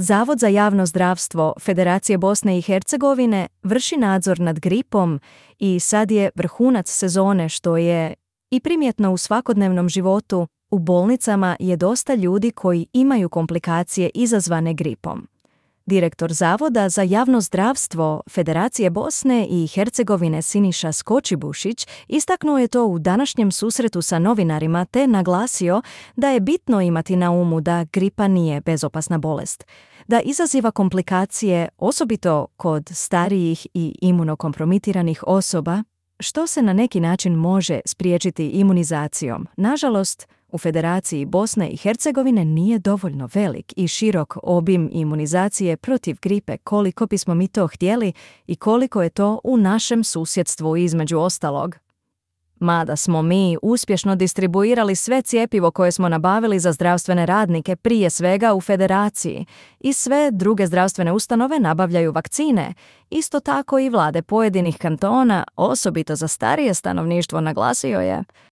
Zavod za javno zdravstvo Federacije Bosne i Hercegovine vrši nadzor nad gripom i sad je vrhunac sezone, što je i primjetno u svakodnevnom životu. U bolnicama je dosta ljudi koji imaju komplikacije izazvane gripom. Direktor Zavoda za javno zdravstvo Federacije Bosne i Hercegovine Siniša Skočibušić istaknuo je to u današnjem susretu sa novinarima te naglasio da je bitno imati na umu da gripa nije bezopasna bolest, da izaziva komplikacije osobito kod starijih i imunokompromitiranih osoba, što se na neki način može spriječiti imunizacijom. Nažalost, u Federaciji Bosne i Hercegovine nije dovoljno velik i širok obim imunizacije protiv gripe koliko bismo mi to htjeli i koliko je to u našem susjedstvu između ostalog. Mada smo mi uspješno distribuirali sve cjepivo koje smo nabavili za zdravstvene radnike prije svega u Federaciji i sve druge zdravstvene ustanove nabavljaju vakcine, isto tako i vlade pojedinih kantona, osobito za starije stanovništvo, naglasio je.